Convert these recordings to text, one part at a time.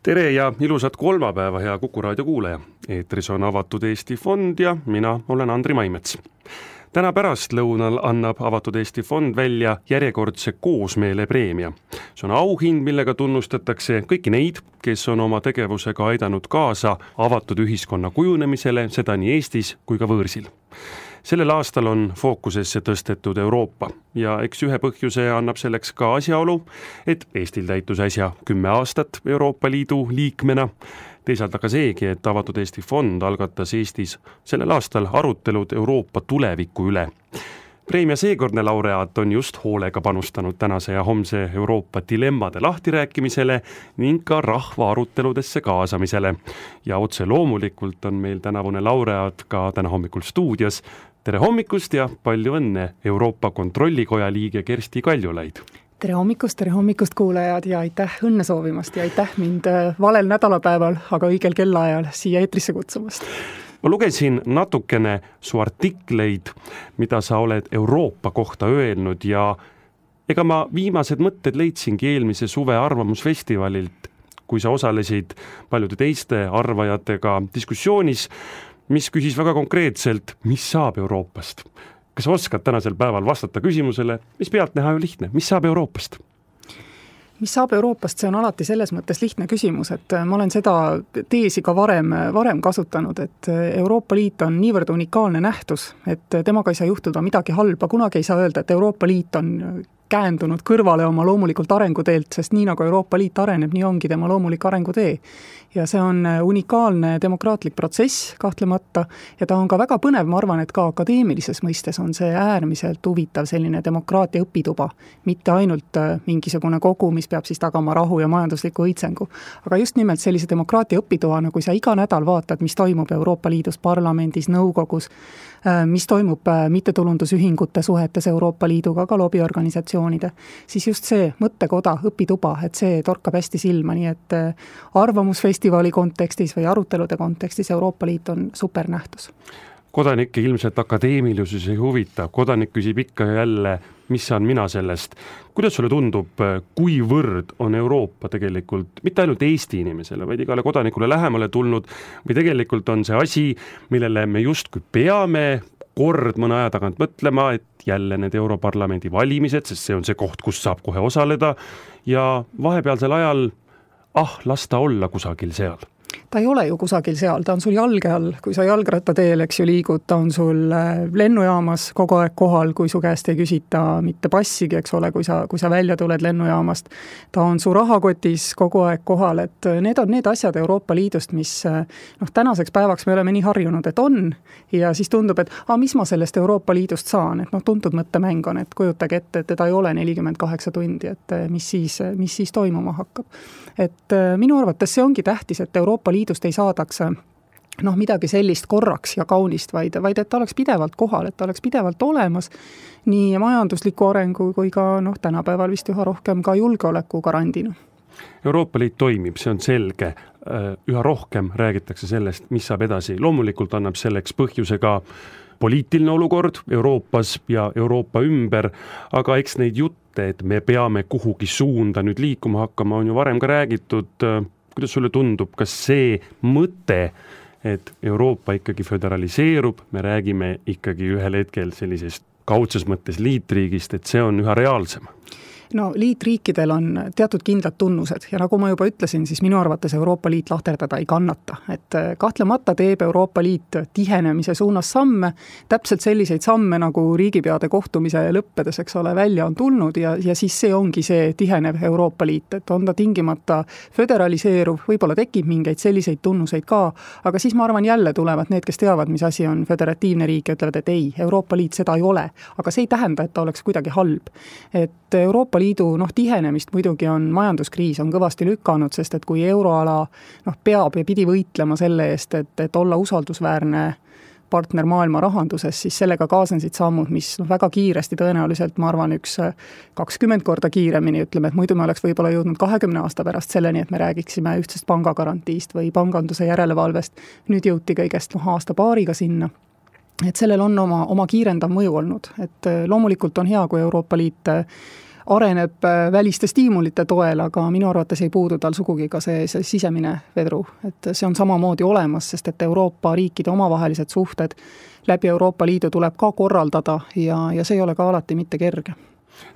Tere ja ilusat kolmapäeva, hea Kuku raadio kuulaja. Eetris on Avatud Eesti Fond ja mina olen Andri Maimets. Täna pärastlõunal annab Avatud Eesti Fond välja järjekordse koosmeele preemia. See on auhind, millega tunnustatakse kõiki neid, kes on oma tegevusega aidanud kaasa avatud ühiskonna kujunemisele, seda nii Eestis kui ka võõrsil. Sellel aastal on fookusesse tõstetud Euroopa ja eks ühe põhjuse annab selleks ka asjaolu, et Eestil täitus äsja 10 aastat Euroopa Liidu liikmena. Teisalt aga seegi, et Avatud Eesti Fond algatas Eestis sellel aastal arutelud Euroopa tuleviku üle. Preemia seekordne laureaat on just hoolega panustanud tänase ja homse Euroopa dilemmade lahtirääkimisele ning ka rahva aruteludesse kaasamisele. Ja otse loomulikult on meil tänavune laureaat ka täna hommikul stuudios. Tere hommikust ja palju õnne, Euroopa Kontrollikoja liige Kersti Kaljulaid. Tere hommikust kuulajad ja aitäh õnne soovimast ja aitäh mind valel nädalapäeval, aga õigel kellaajal siia eetrisse kutsumast. Ma lugesin natukene su artikleid, mida sa oled Euroopa kohta öelnud ja ega ma viimased mõtted leidsingi eelmise suve arvamusfestivalilt, kui sa osalesid paljude teiste arvajatega diskussioonis, mis küsis väga konkreetselt, mis saab Euroopast. Kas oskad tänasel päeval vastata küsimusele, mis pealtnäha ju lihtne, mis saab Euroopast? Mis saab Euroopast, see on alati selles mõttes lihtne küsimus, et ma olen seda teesi ka varem kasutanud, et Euroopa Liit on niivõrd unikaalne nähtus, et temaga ei saa juhtuda midagi halba, kunagi ei saa öelda, et Euroopa Liit on käändunud kõrvale oma loomulikult arenguteelt, sest nii nagu Euroopa Liit areneb, nii ongi tema loomulik arengutee. Ja see on unikaalne demokraatlik protsess kahtlemata ja ta on ka väga põnev, ma arvan, et ka akadeemilises mõistes on see äärmiselt huvitav selline demokraatia õpituba, mitte ainult mingisugune kogu, mis peab siis tagama rahu ja majandusliku õitsengu. Aga just nimelt sellise demokraatia õpitoana, kui sa iga nädal vaatad, mis toimub Euroopa Liidus, parlamendis, nõukogus, mis toimub mittetulundusühingute suhetes Euroopa Liiduga, ka lobiorganisatsioonide, siis just see mõttekoda, õpituba, et see torkab hästi silma, nii et arvamusfestivali kontekstis või arutelude kontekstis Euroopa Liit on supernähtus. Kodanikke ilmselt akadeemilisus ei huvita, kodanik küsib ikka jälle, mis saan mina sellest. Kuidas sulle tundub, kuivõrd on Euroopa tegelikult mitte ainult Eesti inimesele, vaid igale kodanikule lähemale tulnud või tegelikult on see asi, millele me justkui peame kord mõne aja tagant mõtlema, et jälle need Europarlamendi valimised, sest see on see koht, kus saab kohe osaleda ja vahepealsel ajal las ta olla kusagil seal. Ta ei ole ju kusagil seal, ta on sul jalge all, kui sa jalgrattateel, eks ju, liigud, ta on sul lennujaamas kogu aeg kohal, kui su käest ei küsita mitte passigi, eks ole, kui sa välja tuled lennujaamast. Ta on su rahakotis kogu aeg kohal, et need on need asjad Euroopa Liidust, mis tänaseks päevaks me oleme nii harjunud, et on ja siis tundub, et mis ma sellest Euroopa Liidust saan, et tuntud mõttemäng on, et kujutage ette, et teda ei ole 48 tundi, et mis siis toimuma hakkab. Et minu arvates see ongi tähtis, et Euroopa Liidust ei saadaks midagi sellist korraks ja kaunist, vaid et ta oleks pidevalt kohal, et ta oleks pidevalt olemas nii majandusliku arengu kui ka tänapäeval vist üha rohkem ka julgeoleku garandina. Euroopa Liit toimib, see on selge. Üha rohkem räägitakse sellest, mis saab edasi. Loomulikult annab selleks põhjuse ka poliitiline olukord Euroopas ja Euroopa ümber, aga eks neid jutte, et me peame kuhugi suunda nüüd liikuma hakkama, on ju varem ka räägitud. Kuidas sulle tundub, kas see mõte, et Euroopa ikkagi föderaliseerub, me räägime ikkagi ühel hetkel sellisest kaudses mõttes liitriigist, et see on üha reaalsem? Liitriikidel on teatud kindlad tunnused ja nagu ma juba ütlesin, siis minu arvates Euroopa Liit lahterdada ei kannata. Et kahtlemata teeb Euroopa Liit tihenemise suunas samme, täpselt selliseid samme nagu riigipeade kohtumise lõppedes, eks ole, välja on tulnud ja siis see ongi see tihenev Euroopa Liit, et on ta tingimata föderaliseeruv, võib-olla tekib mingeid selliseid tunnuseid ka, aga siis ma arvan jälle tulevad need, kes teavad, mis asi on föderatiivne riik ja ütlevad, et ei, Euroopa Liit seda ei ole, aga see ei tähenda, et ta oleks kuidagi halb. Et Euroopa Liidu tihenemist muidugi on majanduskriis on kõvasti lükanud, sest et kui euroala peab ja pidi võitlema selle eest, et olla usaldusväärne partner maailma rahanduses, siis sellega kaasensid sammud, mis väga kiiresti tõenäoliselt, ma arvan, 20 korda kiiremini, ütleme, et muidu me oleks võib-olla jõudnud 20 aasta pärast selleni, et me räägiksime ühtsest pangagarantiist või panganduse järelevalvest. Nüüd jõuti kõigest aasta-paariga sinna. Et sellel on oma kiirendav mõju olnud, et loomulikult on hea, kui Euroopa Liit areneb väliste stiimulite toel, aga minu arvates ei puudu tal sugugi ka see sisemine vedru. Et see on samamoodi olemas, sest et Euroopa riikide omavahelised suhted läbi Euroopa Liidu tuleb ka korraldada ja see ei ole ka alati mitte kerge.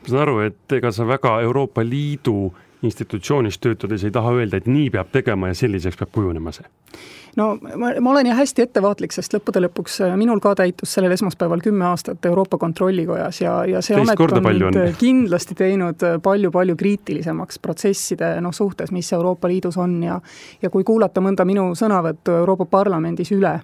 Ma saan aru, et ega sa väga Euroopa Liidu institutsioonis töötades ei taha öelda, et nii peab tegema ja selliseks peab kujunema see? No ma olen hästi ettevaatlik, sest lõppude lõpuks minul ka täitus sellel esmaspäeval 10 aastat Euroopa Kontrollikojas ja see amet on kindlasti teinud palju kriitilisemaks protsesside suhtes, mis Euroopa Liidus on ja kui kuulata mõnda minu sõnavõttu Euroopa Parlamendis üle,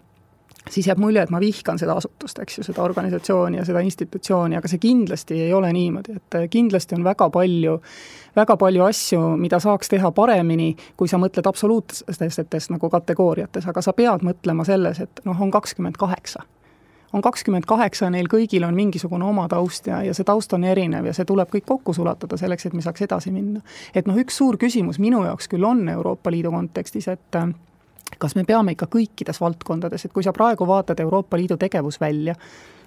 siis jääb mulje, et ma vihkan seda asutust, eks ju, seda organisatsiooni ja seda institutsiooni, aga see kindlasti ei ole niimoodi, et kindlasti on väga palju asju, mida saaks teha paremini, kui sa mõtled absoluutsetes nagu kategooriates, aga sa pead mõtlema selles, et on 28. On 28, neil kõigil on mingisugune oma taust ja see taust on erinev ja see tuleb kõik kokku sulatada selleks, et me saaks edasi minna. Et üks suur küsimus minu jaoks küll on Euroopa Liidu kontekstis, et kas me peame ikka kõikides valdkondades, et kui sa praegu vaatad Euroopa Liidu tegevusvälja,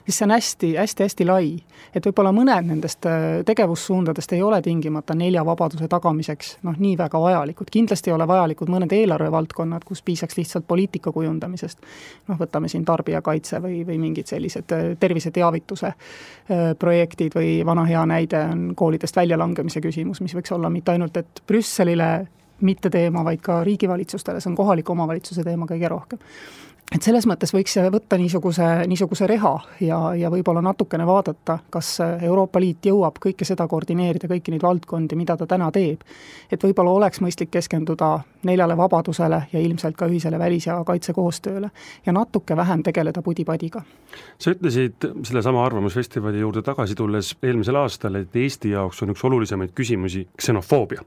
siis see on hästi lai, et võib-olla mõned nendest tegevussuundadest ei ole tingimata 4 vabaduse tagamiseks nii väga vajalikud. Kindlasti ei ole vajalikud mõned eelarvevaldkonnad, kus piisaks lihtsalt poliitika kujundamisest. Võtame siin tarbijakaitse või mingid sellised terviseteavituse projektid või vana hea näide on koolidest väljalangemise küsimus, mis võiks olla mitte ainult, et Brüsselile mitte teema, vaid ka riigivalitsustele, see on kohaliku omavalitsuse teema kõige rohkem. Et selles mõttes võiks võtta niisuguse reha ja võib-olla natukene vaadata, kas Euroopa Liit jõuab kõike seda koordineerida, kõiki neid valdkondi, mida ta täna teeb. Et võib-olla oleks mõistlik keskenduda 4 vabadusele ja ilmselt ka ühisele välis- ja kaitsekoostööle ja natuke vähem tegeleda pudipadiga. Sa ütlesid selle sama arvamusfestivali juurde tagasi tulles eelmisel aastal, et Eesti jaoks on üks olulisemaid küsimusi ksenofoobia.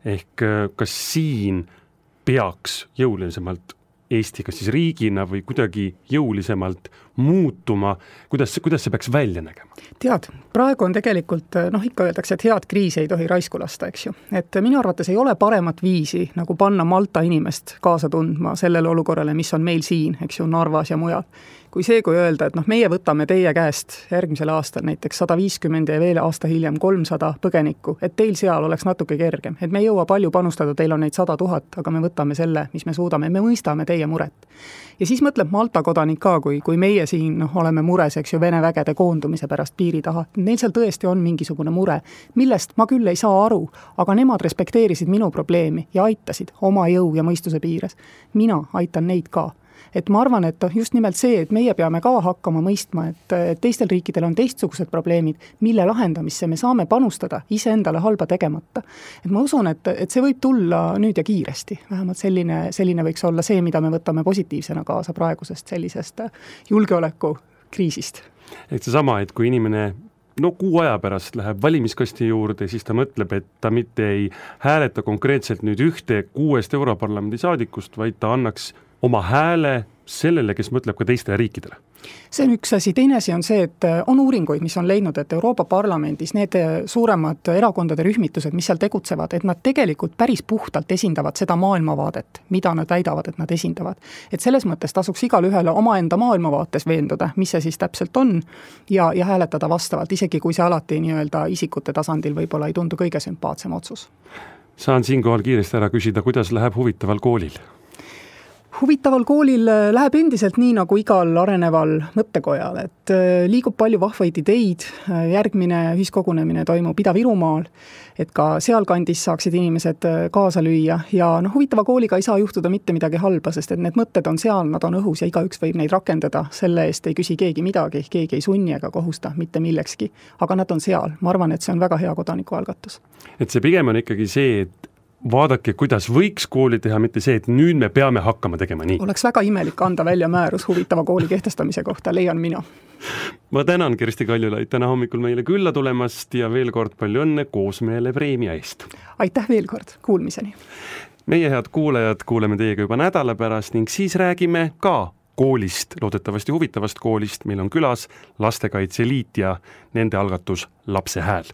Ehk kas siin peaks jõulisemalt Eesti kas siis riigina või kuidagi jõulisemalt muutuma, kuidas see peaks välja nägema? Tead, praegu on tegelikult, ikka öeldakse, et head kriisi ei tohi raisku lasta, eks ju. Et minu arvates ei ole paremat viisi, nagu panna Malta inimest kaasa tundma sellele olukorrale, mis on meil siin, eks ju, Narvas ja mujal. Kui öelda, et meie võtame teie käest järgmisel aastal näiteks 150 ja veel aasta hiljem 300 põgenikku, et teil seal oleks natuke kergem, et me ei jõua palju panustada, teil on neid 100 000, aga me võtame selle, mis me suudame, me mõistame teie muret. Ja siis mõtleb Malta kodanik ka, kui meie siin oleme mures, eks ju, Vene vägede koondumise pärast piiri taha. Neil seal tõesti on mingisugune mure, millest ma küll ei saa aru, aga nemad respekteerisid minu probleemi ja aitasid oma jõu ja mõistuse piires. Mina aitan neid ka. Et ma arvan, et just nimelt see, et meie peame ka hakkama mõistma, et teistel riikidel on teistsugused probleemid, mille lahendamisse me saame panustada iseendale halba tegemata. Et ma usun, et see võib tulla nüüd ja kiiresti. Vähemalt selline võiks olla see, mida me võtame positiivsena kaasa praegusest sellisest julgeolekukriisist. Et see sama, et kui inimene kuu aja pärast läheb valimiskasti juurde, siis ta mõtleb, et ta mitte ei hääleta konkreetselt nüüd 6 Europarlamendi saadikust, vaid ta annaks oma hääle sellele, kes mõtleb ka teistele riikidele. See on üks asi. Teine asi on see, et on uuringuid, mis on leidnud, et Euroopa Parlamendis need suuremad erakondade rühmitused, mis seal tegutsevad, et nad tegelikult päris puhtalt esindavad seda maailmavaadet, mida nad väidavad, et nad esindavad. Et selles mõttes tasuks igal ühele omaenda maailmavaates veenduda, mis see siis täpselt on ja hääletada vastavalt, isegi kui see alati isikute tasandil võib-olla ei tundu kõige sümpaatsem otsus. Saan siinkohal kiiresti ära küsida, kuidas läheb huvitaval koolil? Huvitaval koolil läheb endiselt nii nagu igal areneval mõttekojal, et liigub palju vahvaid ideid, järgmine ühiskogunemine toimub Ida-Virumaal, et ka sealkandis saaksid inimesed kaasa lüüa ja huvitava kooliga ei saa juhtuda mitte midagi halba, sest et need mõtted on seal, nad on õhus ja igaüks võib neid rakendada, selle eest ei küsi keegi midagi, keegi ei sunni ega kohusta mitte millekski, aga nad on seal. Ma arvan, et see on väga hea kodanikualgatus. Et see pigem on ikkagi see, et vaadake, kuidas võiks kooli teha, mitte see, et nüüd me peame hakkama tegema nii. Oleks väga imelik anda välja määrus huvitava kooli kehtestamise kohta, leian mina. Ma tänan Kersti Kaljulaid täna hommikul meile külla tulemast ja veel kord palju õnne Koosmeele preemia eest. Aitäh veel kord, kuulmiseni. Meie head kuulajad kuuleme teiega juba nädala pärast ning siis räägime ka koolist, loodetavasti huvitavast koolist. Meil on külas Lastekaitse Liit ja nende algatus Lapse hääl.